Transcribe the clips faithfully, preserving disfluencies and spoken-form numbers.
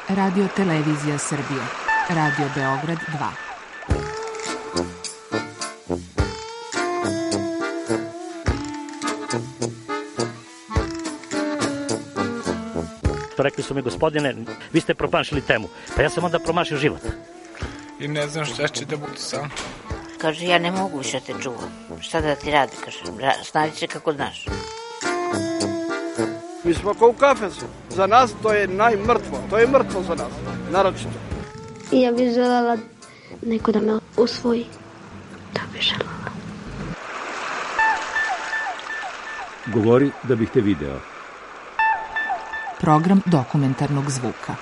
Radio Televizija Srbije. Radio Beograd dva. Rekli su mi, gospodine, vi ste promašili temu. Pa ja sam onda promašio život. I ne znam šta će da bude sam. Kaže, ja ne mogu više te čuvam. Šta da ti radi, kaže, snađi se kako znaš. Mi smo kao u kafesu. Za nas to je najmrtvo. To je mrtvo za nas, naročito. I ja bih želela neko da me usvoji. To bih želela. Govori da bih te video. Program dokumentarnog zvuka.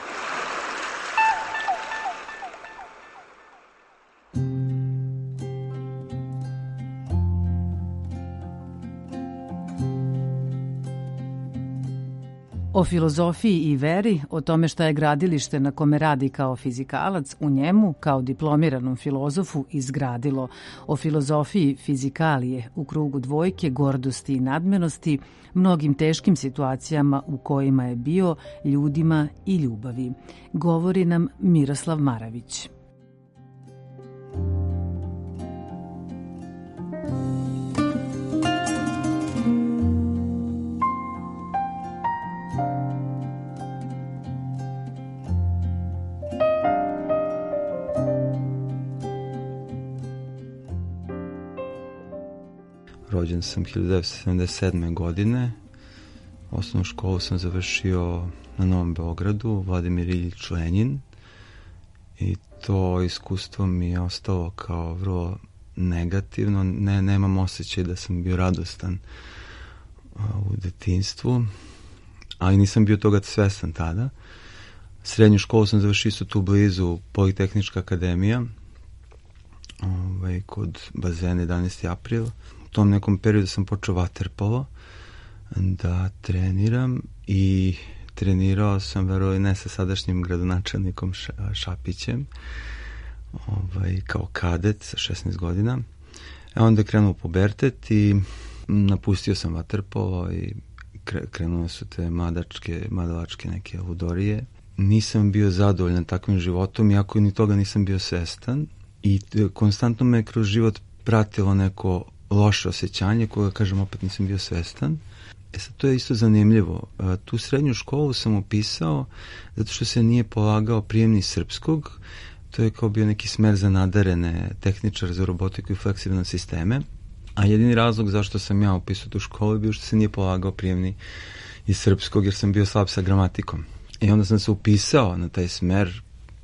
O filozofiji i veri, o tome šta je gradilište na kome radi kao fizikalac, u njemu, kao diplomiranom filozofu, izgradilo. O filozofiji fizikalije, u krugu dvojke, gordosti i nadmenosti, mnogim teškim situacijama u kojima je bio, ljudima i ljubavi. Govori nam Miroslav Maravić. Rođen sam hiljadu devetsto sedamdeset sedme. godine. Osnovnu školu sam završio na Novom Beogradu, Vladimir Iljič Lenjin. I to iskustvo mi je ostalo kao vrlo negativno. Ne, nemam osjećaj da sam bio radostan u detinjstvu, ali nisam bio toga svestan tada. Srednju školu sam završio isto tu blizu, Politehnička akademija, ovaj, kod bazena jedanaesti april. U tom nekom periodu sam počeo vaterpolo da treniram i trenirao sam, verovali ne, sa sadašnjim gradonačelnikom Šapićem, ovaj, kao kadet sa šesnaest godina. E onda krenuo pubertet i napustio sam vaterpolo i krenule su te mladačke, mladalačke neke ludorije. Nisam bio zadovoljan takvim životom, iako ni toga nisam bio svestan, i konstantno me kroz život pratilo neko loše osjećanje, koje, kažem, opet nisam bio svestan. E sad, to je isto zanimljivo. Tu srednju školu sam upisao zato što se nije polagao prijemni srpskog. To je kao bio neki smer za nadarene, tehničar za robotiku i fleksibilne sisteme. A jedini razlog zašto sam ja upisao tu školu je bio što se nije polagao prijemni iz srpskog, jer sam bio slab sa gramatikom. I onda sam se upisao na taj smer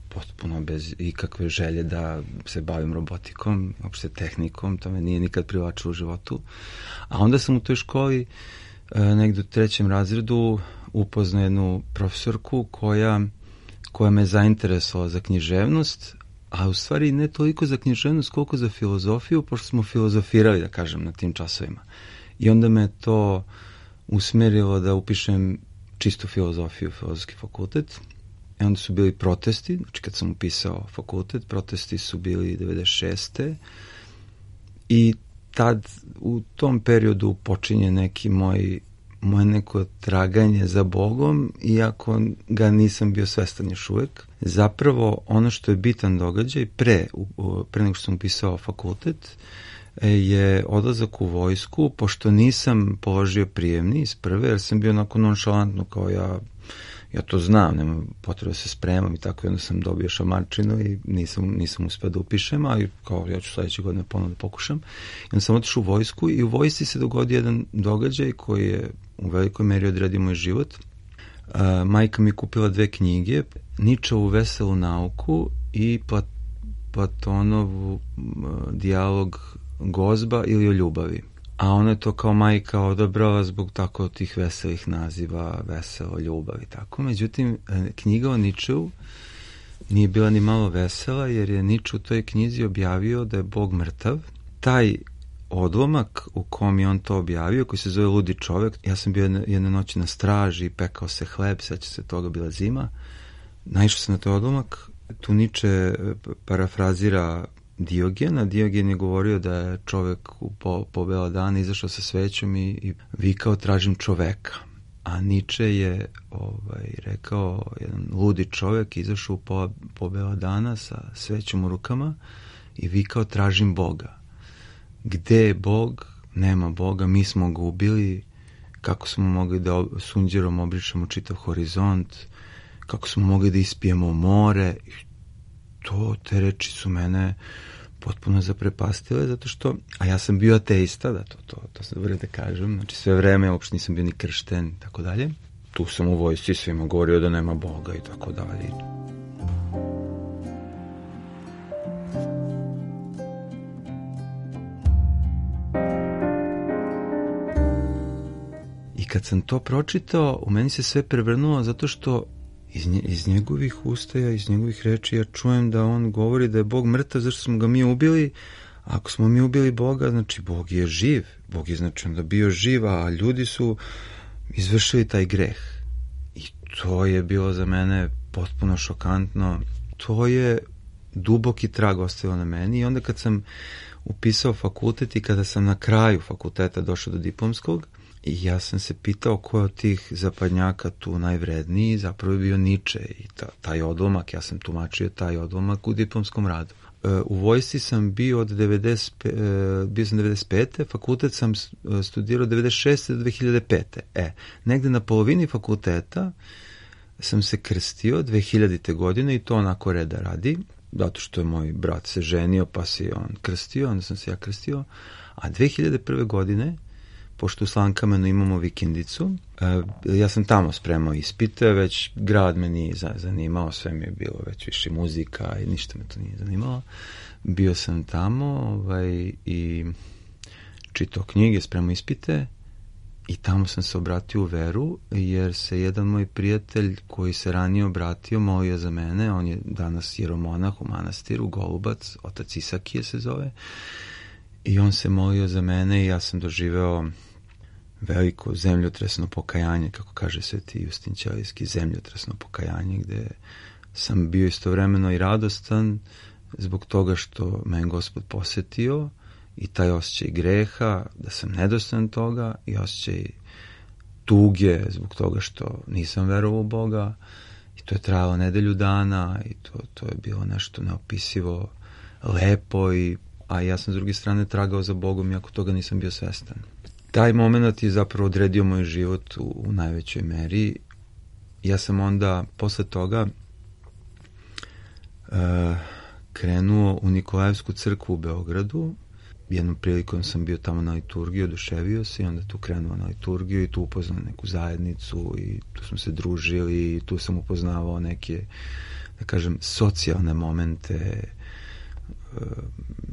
potpuno bez ikakve želje da se bavim robotikom, uopšte tehnikom, to me nije nikad privlačilo u životu. A onda sam u toj školi negdje u trećem razredu upoznao jednu profesorku koja, koja me zainteresovala za književnost, a u stvari ne toliko za književnost koliko za filozofiju, pošto smo filozofirali, da kažem, na tim časovima. I onda me to usmerilo da upišem čistu filozofiju, filozofski fakultet. I onda su bili protesti, znači kad sam upisao fakultet, protesti su bili devedeset šeste. I tad, u tom periodu počinje neki moj, moje neko traganje za Bogom, iako ga nisam bio svestan još uvek. Zapravo, ono što je bitan događaj, pre, pre nego što sam upisao fakultet, je odlazak u vojsku, pošto nisam položio prijemni iz prve, jer sam bio onako nonšalantno, kao ja, ja to znam, nema potrebe da se spremam i tako, onda sam dobio šamarčinu i nisam, nisam uspio da upišem, ali kao ja ću sledeće godine ponovno da pokušam. I onda sam otišao u vojsku i u vojsci se dogodio jedan događaj koji je u velikoj meri odredio moj život. Uh, majka mi je kupila dve knjige, Ničovu Veselu nauku i Plat, Platonovu uh, dijalog Gozba ili o ljubavi. A ona je to kao majka odabrala zbog tako tih veselih naziva, veselo, ljubav i tako. Međutim, knjiga o Ničeu nije bila ni malo vesela, jer je Niče u toj knjizi objavio da je Bog mrtav. Taj odlomak u kom je on to objavio, koji se zove Ludi čovek, ja sam bio jedne, jedne noći na straži, pekao se hleb, seća se toga, bila zima. Naišao sam na taj odlomak. Tu Niče parafrazira Diogena. Diogen je govorio da je čovek u po, po bela dana izašao sa svećom i, i vikao tražim čoveka. A Nietzsche je ovaj, rekao, jedan ludi čovjek izašao u po, po bela dana sa svećom u rukama i vikao tražim Boga. Gde je Bog? Nema Boga, mi smo ga ubili, kako smo mogli da sunđerom obrišemo čitav horizont, kako smo mogli da ispijemo more. To, te reči su mene potpuno zaprepastile, zato što, a ja sam bio ateista, da, to, to, to sam dobro da kažem, znači sve vreme, uopšte nisam bio ni kršten i tako dalje. Tu sam u vojsci svima govorio da nema Boga i tako dalje. I kad sam to pročitao, u meni se sve prevrnulo zato što Iz, nje, iz njegovih ustaja, iz njegovih reči ja čujem da on govori da je Bog mrtav zašto smo ga mi ubili. A ako smo mi ubili Boga, znači Bog je živ. Bog je znači onda bio živ, a ljudi su izvršili taj greh. I to je bilo za mene potpuno šokantno. To je duboki trag ostavio na meni i onda kad sam upisao fakultet i kada sam na kraju fakulteta došao do diplomskog, i ja sam se pitao ko je od tih zapadnjaka tu najvredniji, zapravo je bio Nietzsche i ta, taj odlomak, ja sam tumačio taj odlomak u diplomskom radu. E, u vojsci sam bio od devedeset pete, e, bio sam devedeset pete fakultet sam studirao od devedeset šeste do dve hiljade pete E, negde na polovini fakulteta sam se krstio dve hiljadite godine i to onako reda radi, zato što je moj brat se ženio pa se on krstio, onda sam se ja krstio, a dve hiljade prve godine pošto u Slankamenu imamo vikendicu, ja sam tamo spremao ispite, već grad me nije zanimao, sve mi je bilo već više muzika i ništa me to nije zanimalo. Bio sam tamo ovaj, i čitao knjige, spremao ispite i tamo sam se obratio u veru, jer se jedan moj prijatelj koji se ranije obratio molio za mene, on je danas jeromonah u manastiru, Golubac, otac Isakije se zove, i on se molio za mene i ja sam doživeo veliko zemljotresno pokajanje, kako kaže Sveti Justin Ćelijski, zemljotresno pokajanje, gde sam bio istovremeno i radostan zbog toga što me Gospod posetio i taj osjećaj greha, da sam nedostan toga i osjećaj tuge zbog toga što nisam verovao u Boga i to je trajalo nedelju dana i to, to je bilo nešto neopisivo lepo, i, a ja sam s druge strane tragao za Bogom iako toga nisam bio svestan. Taj moment je zapravo odredio moj život u, u najvećoj meri. Ja sam onda posle toga uh, krenuo u Nikolajevsku crkvu u Beogradu. Jednom prilikom sam bio tamo na liturgiji, oduševio se i onda tu krenuo na liturgiju i tu upoznao neku zajednicu i tu smo se družili i tu sam upoznavao neke, da kažem, socijalne momente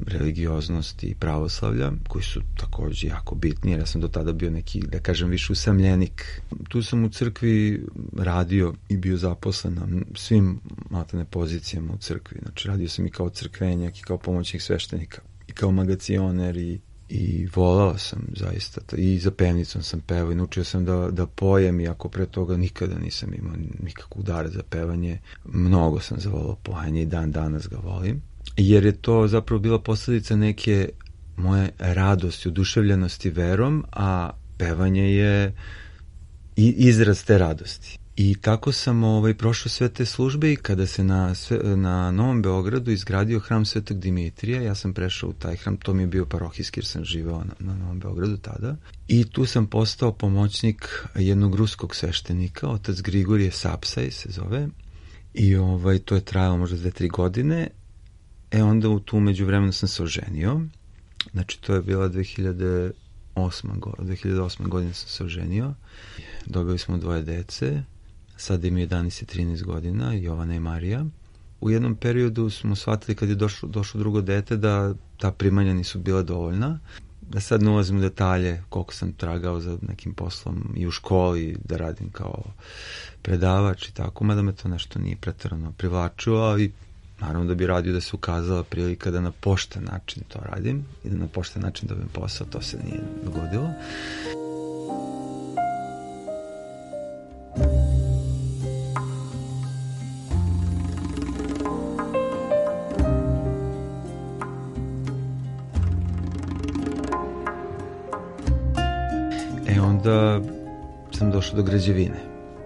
religioznosti i pravoslavlja, koji su takođe jako bitni, jer ja sam do tada bio neki, da kažem, više usamljenik. Tu sam u crkvi radio i bio zaposlen na svim maltene pozicijama u crkvi. Znači, radio sam i kao crkvenjak i kao pomoćnik sveštenika i kao magacioner i, i volao sam zaista. I za pevnicom sam pevao i naučio sam da, da pojem, iako pre toga nikada nisam imao nikakvog dara za pevanje. Mnogo sam zavolao pojanje i dan danas ga volim. Jer je to zapravo bila posledica neke moje radosti, oduševljenosti verom, a pevanje je izraz te radosti. I tako sam ovaj, prošao sve te službe i kada se na, sve, na Novom Beogradu izgradio hram Svetog Dimitrija, ja sam prešao u taj hram, to mi je bio parohijski jer sam živeo na, na Novom Beogradu tada. I tu sam postao pomoćnik jednog ruskog sveštenika, otac Grigorije Sapsaj se zove. I ovaj, to je trajalo možda dve, tri godine. E onda u tu međuvremenu sam se oženio. Znači to je bila dve hiljade osme godine sam se oženio. Dobili smo dvoje dece. Sada im je jedanaest i trinaest godina, Jovana i Marija. U jednom periodu smo shvatili kad je došlo, došlo drugo dete da ta primanja nisu bila dovoljna. Da sad ne ulazim u detalje koliko sam tragao za nekim poslom i u školi da radim kao predavač i tako, mada me to nešto nije preterano privlačilo, ali naravno da bi radio da se ukazala prilika da na pošten način to radim i da na pošten način dobijem posao, to se nije dogodilo. E onda sam došao do građevine.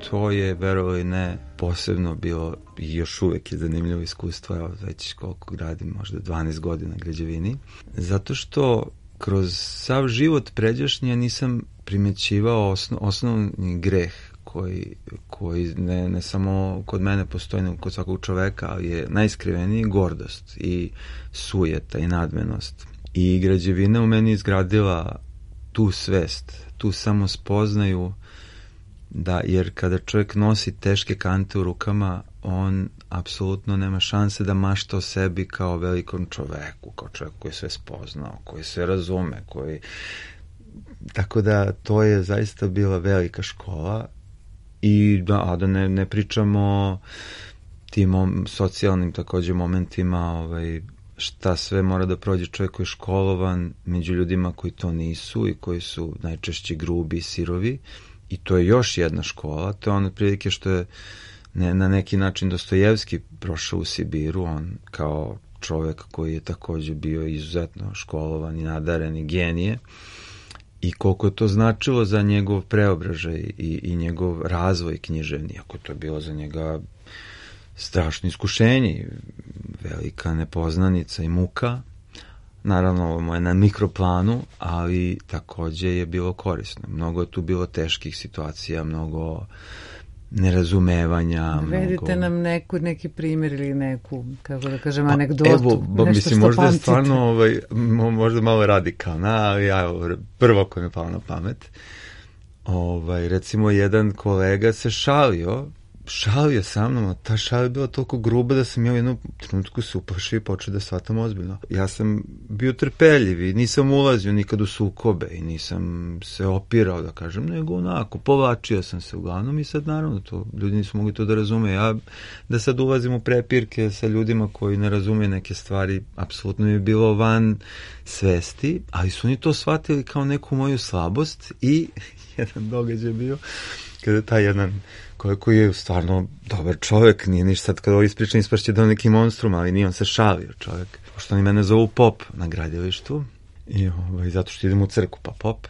To je, verovalo i ne, posebno bilo i još uvek je zanimljivo iskustvo, evo već koliko radim, možda dvanaest godina građevini, zato što kroz sav život pređašnji nisam primećivao osno, osnovni greh koji, koji ne, ne samo kod mene postoji, nego kod svakog čoveka, ali je najiskriveniji gordost i sujeta i nadmenost. I građevina u meni izgradila tu svest, tu samo spoznaju da, jer kada čovjek nosi teške kante u rukama, on apsolutno nema šanse da mašta o sebi kao velikom čoveku, kao čovjek koji sve spoznao, koji sve razume, koji... Tako da to je zaista bila velika škola i da, a da ne, ne pričamo o tim mom, socijalnim takođe momentima, ovaj, šta sve mora da prođe čovjek koji je školovan među ljudima koji to nisu i koji su najčešće grubi i sirovi. I to je još jedna škola, to je ono prilike što je ne, na neki način Dostojevski prošao u Sibiru, on kao čovjek koji je takođe bio izuzetno školovan i nadaren i genije, i koliko je to značilo za njegov preobražaj i, i njegov razvoj književni, ako to je bilo za njega strašno iskušenje, velika nepoznanica i muka. Naravno, ovo je na mikroplanu, ali takođe je bilo korisno. Mnogo je tu bilo teških situacija, mnogo nerazumevanja. Vedite mnogo... nam neku, neki primjer ili neku, kako da kažem, anegdotu. Evo, bo, nešto mislim, što možda pamtite. je stvarno ovaj, možda malo radikalna, ali ja, prvo koja mi je pala na pamet. Ovaj, recimo, jedan kolega se šalio, šalio sa mnom, a ta šalja je bila toliko gruba da sam ja u jednom trenutku se uplašio i počeo da shvatam ozbiljno. Ja sam bio trpeljiv i nisam ulazio nikad u sukobe i nisam se opirao, da kažem, nego onako, povlačio sam se uglavnom i sad naravno to, ljudi nisu mogli to da razume. Ja da sad ulazim u prepirke sa ljudima koji ne razume neke stvari, apsolutno mi je bilo van svesti, ali su oni to shvatili kao neku moju slabost i jedan događaj bio kada je taj jedan koji je stvarno dobar čovjek, nije ništa sad kada ovo ispričam ispašće da je neki monstrum, ali nije, on se šalio čovjek. Pošto oni mene zovu Pop na gradilištu, i ovaj, zato što idem u crku, pa Pop.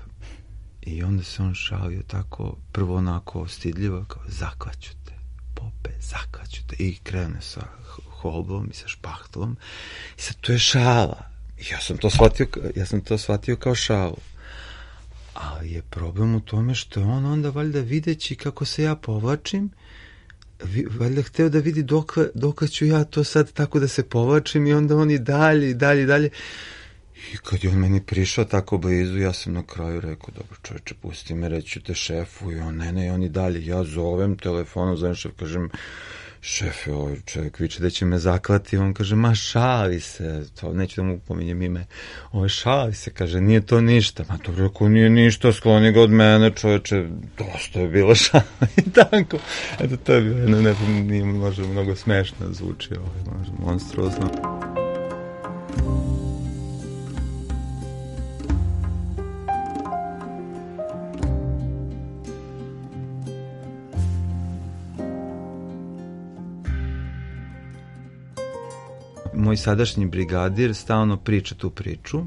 I onda se on šalio tako, prvo onako stidljivo, kao zaklaću te, Pope, zaklaću te. I krene sa holbom i sa špahtlom. I sad to je šala. I ja sam to shvatio, ja sam to shvatio kao šalu. Ali je problem u tome što on onda valjda videći kako se ja povlačim, valjda hteo da vidi dokle, dokle ću ja to sad tako da se povlačim, i onda on i dalje i dalje i dalje. I kad je on meni prišao tako blizu, ja sam na kraju rekao, dobro čoveče, pusti me, reću te šefu, i on ne, ne, i on i dalje. Ja zovem telefonom, zovem šef, kažem, šefe, ovaj čovjek viče da će me zaklati, on kaže, ma šali se, to neću da mu pominjem ime, ovaj šali se, kaže, nije to ništa, ma to rekao, nije ništa, skloni ga od mene, čovječe, dosta je bilo šala, i tako, eto, to je bilo jedno, ne, nije možda mnogo smešno zvuči, ovaj, možda monstruozno. Moj sadašnji brigadir stalno priča tu priču,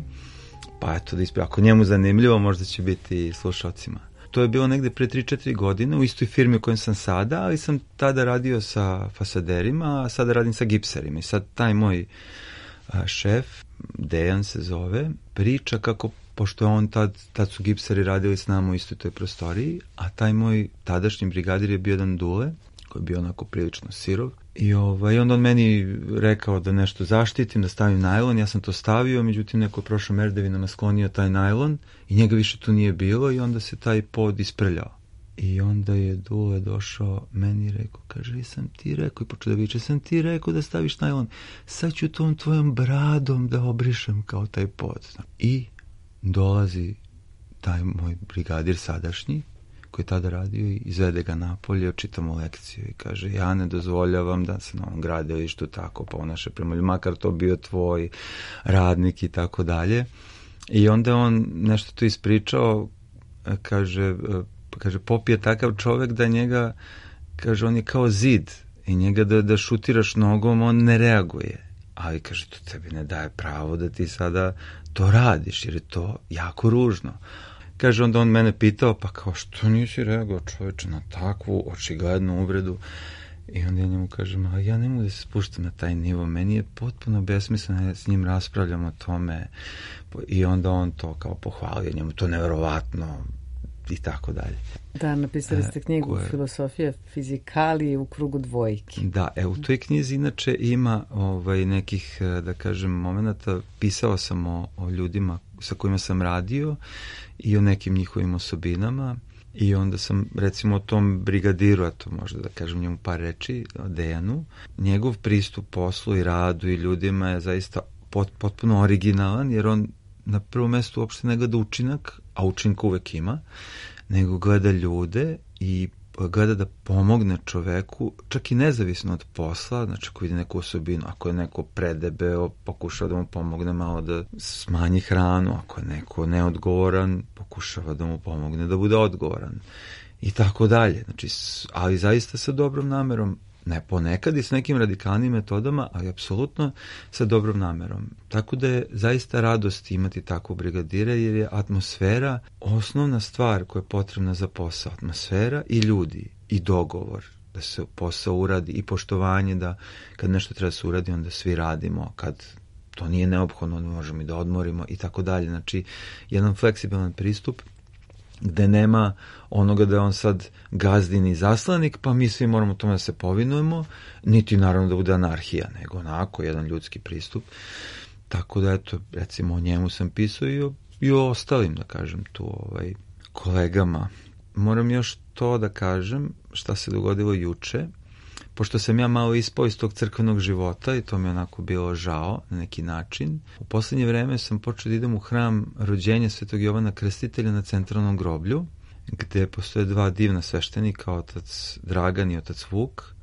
pa eto da ispravim, ako njemu zanimljivo, možda će biti i slušalcima. To je bilo negde pre tri četiri godine u istoj firmi u kojoj sam sada, ali sam tada radio sa fasaderima, a sada radim sa gipserima. I sad taj moj a, šef, Dejan se zove, priča kako, pošto on tad, tad su gipseri radili s nama u istoj toj prostoriji, a taj moj tadašnji brigadir je bio jedan Dule, koji je bio onako prilično sirov. I ovaj, onda on meni rekao da nešto zaštitim, da stavim najlon, ja sam to stavio, međutim neko je prošao merdevinama sklonio taj najlon i njega više tu nije bilo, i onda se taj pod isprljao. I onda je Dule došao meni i rekao, kaže, jesam ti rekao, i počeo da viče, sam ti rekao da staviš najlon, sad ću tom tvojom bradom da obrišem kao taj pod. I dolazi taj moj brigadir sadašnji, koji je tada radio, i izvede ga napolje, očita mu lekciju i kaže, ja ne dozvoljavam da se na ovom gradilištu tako ponaša prema ljudima, makar to bio tvoj radnik i tako dalje. I onda on nešto to ispričao, kaže, kaže, Pop je takav čovek da njega, kaže, on je kao zid, i njega da, da šutiraš nogom, on ne reaguje. Ali, kaže, to tebi ne daje pravo da ti sada to radiš, jer je to jako ružno. kaže, onda on mene pitao, pa kao, što nisi reagovao čoveče na takvu očiglednu uvredu? I onda ja njemu kažem, ali ja ne mogu da se spuštam na taj nivo, meni je potpuno besmisleno da s njim raspravljam o tome. I onda on to kao pohvalio, njemu to neverovatno i tako dalje. Da, napisali ste knjigu e, Filosofija fizikalije u krugu dvojki. Da, e, u toj knjizi inače ima ovaj, nekih, da kažem, momenta, pisao sam o, o ljudima sa kojima sam radio i o nekim njihovim osobinama. I onda sam, recimo, o tom brigadiru, a to možda da kažem njemu par reči, o Dejanu, njegov pristup poslu i radu i ljudima je zaista pot, potpuno originalan, jer on na prvom mestu uopšte ne gleda učinak, a učinka uvek ima, nego gleda ljude i gleda da pomogne čoveku, čak i nezavisno od posla, znači ako vidi neku osobinu, ako je neko predebeo, pokušava da mu pomogne malo da smanji hranu, ako je neko neodgovoran, pokušava da mu pomogne da bude odgovoran i tako dalje. Znači, ali zaista sa dobrom namerom, ne ponekad i s nekim radikalnim metodama, ali apsolutno sa dobrom namerom. Tako da je zaista radost imati takvu brigadira, jer je atmosfera osnovna stvar koja je potrebna za posao. Atmosfera i ljudi i dogovor da se posao uradi i poštovanje da kad nešto treba se uradi onda svi radimo, kad to nije neophodno onda možemo i da odmorimo i tako dalje. Znači, jedan fleksibilan pristup gde nema onoga da je on sad gazdin i zaslanik, pa mi svi moramo tome da se povinujemo, niti naravno da bude anarhija, nego onako jedan ljudski pristup. Tako da, eto, recimo o njemu sam pisao i o, i o ostalim, da kažem, tu ovaj, kolegama. Moram još to da kažem šta se dogodilo juče, pošto sam ja malo ispao iz tog crkvenog života i to mi je onako bilo žao na neki način. U poslednje vreme sam počeo da idem u hram rođenja Svetog Jovana Krstitelja na Centralnom groblju, gde postoje dva divna sveštenika, otac Dragan i otac Vuk.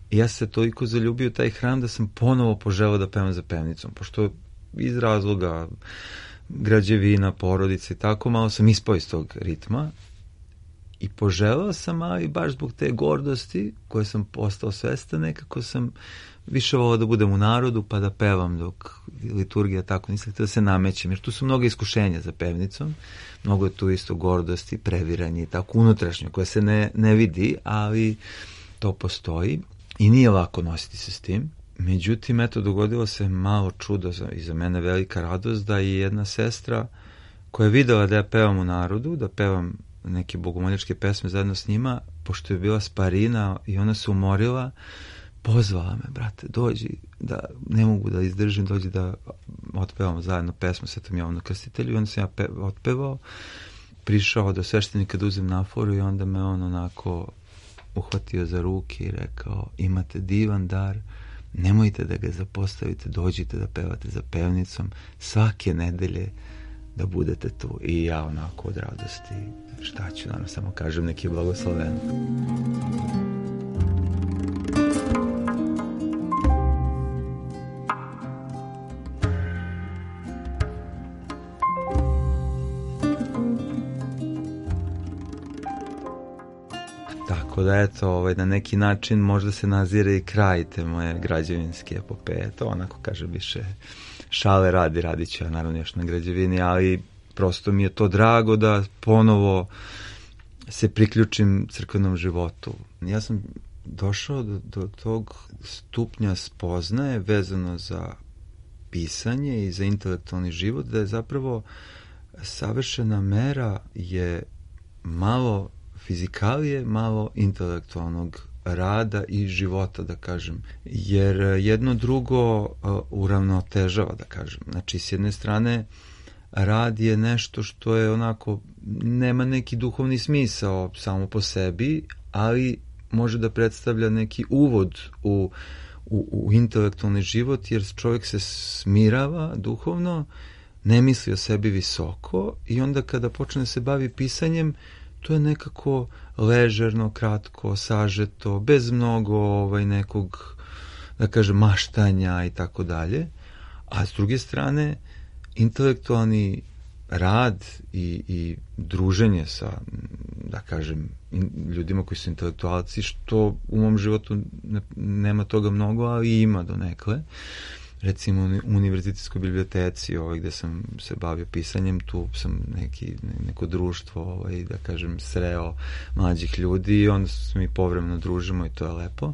I ja se toliko zaljubio u taj hram da sam ponovo poželao da pevam za pevnicom, pošto iz razloga građevina, porodice i tako, malo sam ispao iz tog ritma. I poželao sam, ali baš zbog te gordosti koje sam postao svestan, nekako sam više volao da budem u narodu pa da pevam dok liturgija tako, nisam htio da se namećem, jer tu su mnogo iskušenja za pevnicom, mnogo je tu isto gordosti, previranje i tako unutrašnje koje se ne, ne vidi, ali to postoji i nije lako nositi se s tim. Međutim, eto, dogodilo se malo čudo i za mene velika radost da je jedna sestra koja je videla da ja pevam u narodu, da pevam neke bogomoljačke pesme zajedno s njima, pošto je bila sparina i ona se umorila, pozvala me, brate, dođi, da ne mogu da izdržim, dođi da otpevamo zajedno pesmu Svetom Jovanu Krstitelju. I onda sam ja pe, otpevao, prišao do sveštenika da uzem naforu i onda me on onako uhvatio za ruke i rekao, imate divan dar, nemojte da ga zapostavite, dođite da pevate za pevnicom svake nedelje da budete tu. I ja onako od radosti, šta ću, naravno samo kažem, neki blagosloven. Tako da, eto, ovaj, na neki način možda se nazire i kraj te moje građevinske epopeje. To onako, kažem, više šale radi, radit ću ja naravno još na građevini, ali prosto mi je to drago da ponovo se priključim crkvenom životu. Ja sam došao do, do tog stupnja spoznaje vezano za pisanje i za intelektualni život, da je zapravo savršena mera je malo fizikalije, malo intelektualnog rada i života, da kažem. Jer jedno drugo uh, uravnotežava, da kažem. Znači, s jedne strane, rad je nešto što je onako, nema neki duhovni smisao samo po sebi, ali može da predstavlja neki uvod u, u, u intelektualni život, jer čovjek se smirava duhovno, ne misli o sebi visoko i onda kada počne se bavi pisanjem, to je nekako ležerno, kratko, sažeto, bez mnogo ovaj, nekog, da kažem, maštanja i tako dalje. A s druge strane, intelektualni rad i, i druženje sa, da kažem, in, ljudima koji su intelektualci, što u mom životu ne, nema toga mnogo, ali ima donekle, recimo u univerzitetskoj biblioteci ovaj, gde sam se bavio pisanjem, tu sam neki, neko društvo, ovaj, da kažem, sreo mlađih ljudi i onda se mi povremeno družimo i to je lepo.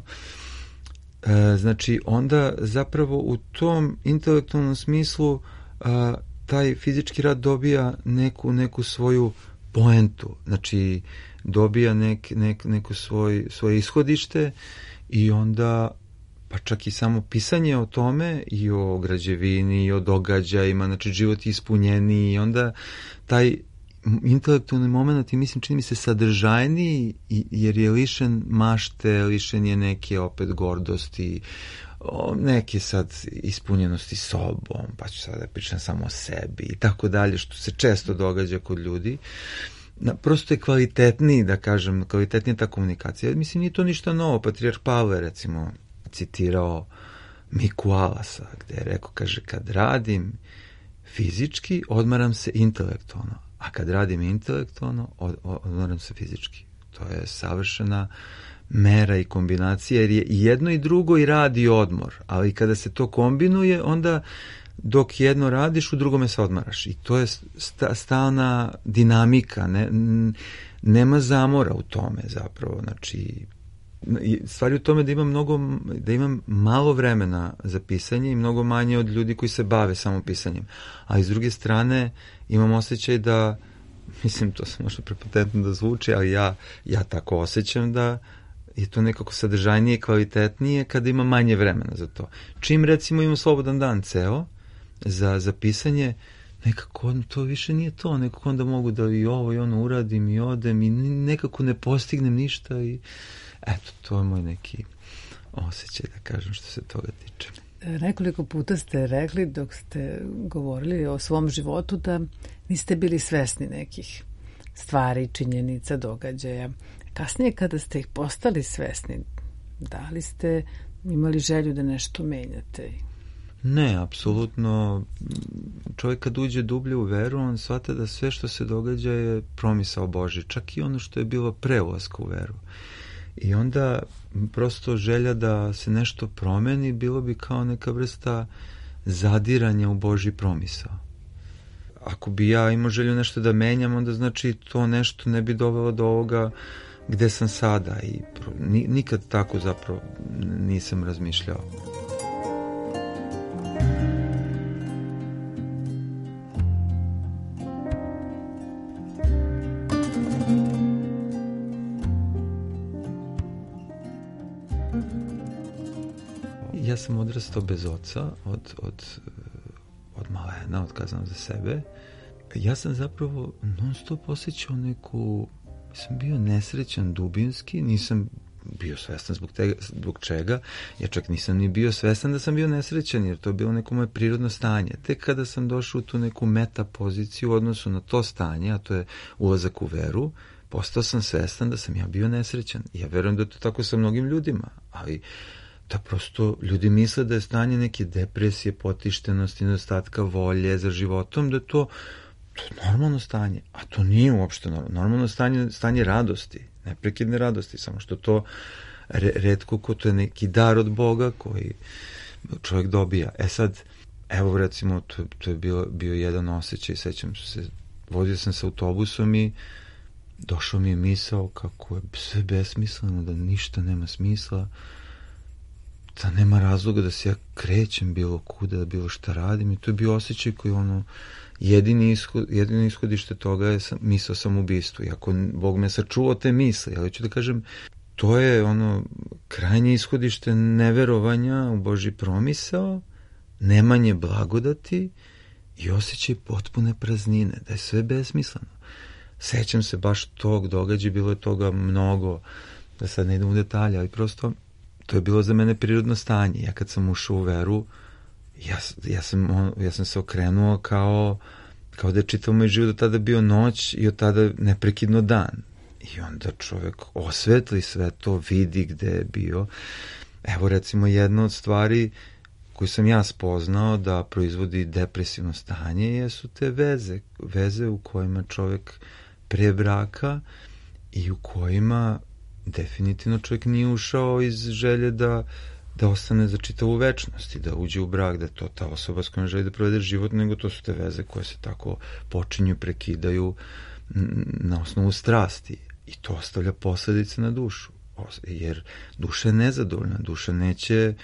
E, znači, onda zapravo u tom intelektualnom smislu a, taj fizički rad dobija neku, neku svoju poentu, znači dobija nek, nek, neko svoj, svoje ishodište i onda pa čak i samo pisanje o tome i o građevini i o događajima, znači život je ispunjeniji i onda taj intelektualni moment i mislim čini mi se sadržajniji jer je lišen mašte, lišen je neke opet gordosti, neke sad ispunjenosti sobom, pa ću sad da pričam samo o sebi i tako dalje, što se često događa kod ljudi. Prosto je kvalitetniji, da kažem, kvalitetnija ta komunikacija. Mislim, nije to ništa novo. Patrijarh Pavle, recimo, citirao Miku Alasa, gde je rekao, kaže, kad radim fizički, odmaram se intelektualno, a kad radim intelektualno, od, odmaram se fizički. To je savršena mera i kombinacija, jer je i jedno i drugo i rad i odmor, ali kada se to kombinuje, onda dok jedno radiš, u drugome se odmaraš. I to je sta, stalna dinamika, ne, nema zamora u tome zapravo, znači stvari u tome da imam mnogo, da imam malo vremena za pisanje i mnogo manje od ljudi koji se bave samo pisanjem. A iz druge strane imam osjećaj da, mislim, to se možda prepotentno da zvuči, ali ja, ja tako osjećam da je to nekako sadržajnije i kvalitetnije kada ima manje vremena za to. Čim recimo imam slobodan dan ceo za, za pisanje, nekako to više nije to, nekako onda mogu da i ovo i ono uradim i odem i nekako ne postignem ništa i eto, to je moj neki osjećaj, da kažem, što se toga tiče. Nekoliko puta ste rekli dok ste govorili o svom životu da niste bili svesni nekih stvari, činjenica, događaja. Kasnije kada ste ih postali svesni, da li ste imali želju da nešto menjate? Ne, apsolutno. Čovjek kad uđe dublje u veru, on shvata da sve što se događa je promisao Božji, čak i ono što je bilo pre ulaska u veru. I onda prosto želja da se nešto promeni bilo bi kao neka vrsta zadiranja u Božji promisao. Ako bi ja imao želju nešto da menjam, onda znači to nešto ne bi dovelo do ovoga gde sam sada i nikad tako zapravo nisam razmišljao. Ja sam odrastao bez oca od, od, od malena, od kazam za sebe. Ja sam zapravo non stop osjećao neku, sam bio nesrećan dubinski, nisam bio svestan zbog, tega, zbog čega, ja čak nisam ni bio svestan da sam bio nesrećan, jer to je bilo neko moje prirodno stanje. Tek kada sam došao u tu neku meta poziciju u odnosu na to stanje, a to je ulazak u veru, postao sam svestan da sam ja bio nesrećan. Ja verujem da je to tako sa mnogim ljudima, ali da prosto ljudi misle da je stanje neke depresije, potištenosti, nedostatka volje za životom, da je to, to je normalno stanje, a to nije uopšte normalno. Normalno stanje, stanje radosti, neprekidne radosti, samo što to re, retko ko to je neki dar od Boga koji čovjek dobija. E sad, evo recimo, to, to je bio, bio jedan osjećaj, sećam se, vozio sam se autobusom i došao mi je misao kako je sve besmisleno, da ništa nema smisla, da nema razloga da se ja krećem bilo kuda, da bilo šta radim i to je bio osjećaj koji ono, jedini ishod, jedino ishodište toga je sam, misao samoubistvo. I ako Bog me sačuvao te misle, ali ću da kažem, to je ono krajnje ishodište neverovanja u Božji promisao, nemanje blagodati i osjećaj potpune praznine, da je sve besmisleno. Sećam se baš tog događaja, bilo je toga mnogo, da sad ne idem u detalje, ali prosto to je bilo za mene prirodno stanje. Ja kad sam ušao u veru, ja, ja, sam, ja sam se okrenuo kao, kao da je čitav moj život od tada bio noć i od tada neprekidno dan. I onda čovjek osvetli sve to, vidi gde je bio. Evo recimo jedna od stvari koju sam ja spoznao da proizvodi depresivno stanje jesu te veze. Veze u kojima čovjek pre braka i u kojima definitivno čovjek nije ušao iz želje da da ostane za čitavu večnost i da uđe u brak, da to ta osoba s kojom želi da provede život, nego to su te veze koje se tako počinju, prekidaju na osnovu strasti i to ostavlja posledice na dušu, jer duša je nezadovoljna, duša neće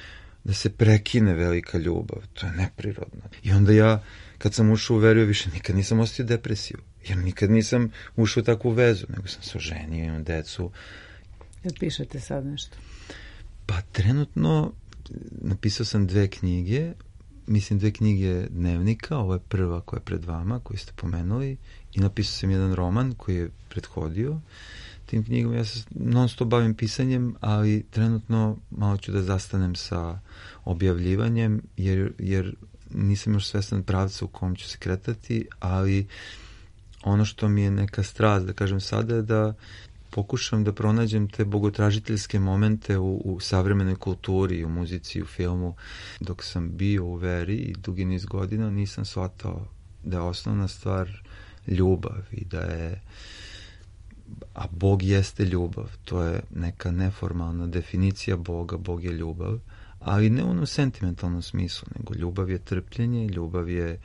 da se prekine velika ljubav, to je neprirodno. I onda ja, kad sam ušao u veru, više nikad nisam osjetio depresiju, jer nikad nisam ušao u takvu vezu, nego sam se oženio, imam decu. Jel pišete sad nešto? Pa trenutno napisao sam dve knjige, mislim dve knjige dnevnika, ovo je prva koja je pred vama, koju ste pomenuli, i napisao sam jedan roman koji je prethodio tim knjigom. Ja se non stop bavim pisanjem, ali trenutno malo ću da zastanem sa objavljivanjem, jer, jer nisam još svestan pravca u kom ću se kretati, ali ono što mi je neka strast, da kažem sada, je da pokušam da pronađem te bogotražiteljske momente u, u savremenoj kulturi, u muzici, u filmu. Dok sam bio u veri i dugi niz godina nisam shvatao da je osnovna stvar ljubav i da je, a Bog jeste ljubav, to je neka neformalna definicija Boga, Bog je ljubav, ali ne u onom sentimentalnom smislu, nego ljubav je trpljenje, ljubav je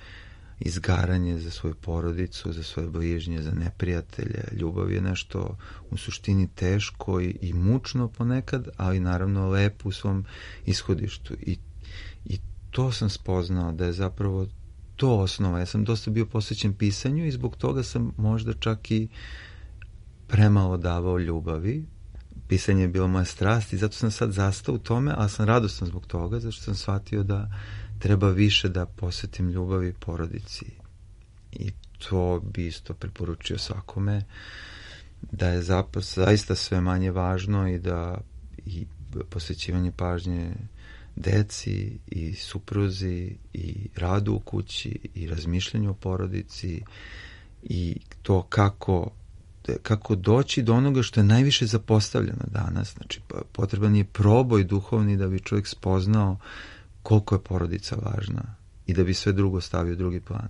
izgaranje za svoju porodicu, za svoje bližnje, za neprijatelje. Ljubav je nešto u suštini teško i, i mučno ponekad, ali naravno lepo u svom ishodištu. I, i to sam spoznao da je zapravo to osnova. Ja sam dosta bio posvećen pisanju i zbog toga sam možda čak i premalo davao ljubavi. Pisanje je bila moja strast i zato sam sad zastao u tome, ali sam radostan zbog toga, zato što sam shvatio da treba više da posvetim ljubavi porodici. I to bi isto preporučio svakome, da je zaista sve manje važno i da i posvećivanje pažnje deci i supruzi i radu u kući i razmišljanju o porodici i to kako kako doći do onoga što je najviše zapostavljeno danas. Znači, potreban je proboj duhovni da bi čovjek spoznao koliko je porodica važna i da bi sve drugo stavio u drugi plan.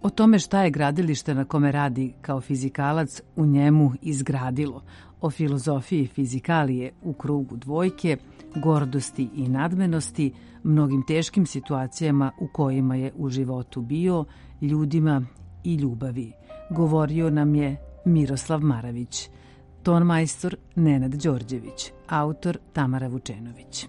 O tome šta je gradilište na kome radi kao fizikalac u njemu izgradilo, o filozofiji fizikalije u krugu dvojke, gordosti i nadmenosti, mnogim teškim situacijama u kojima je u životu bio, ljudima i ljubavi. Govorio nam je Miroslav Maravić, tonmajstor Nenad Đorđević, autor Tamara Vučenović.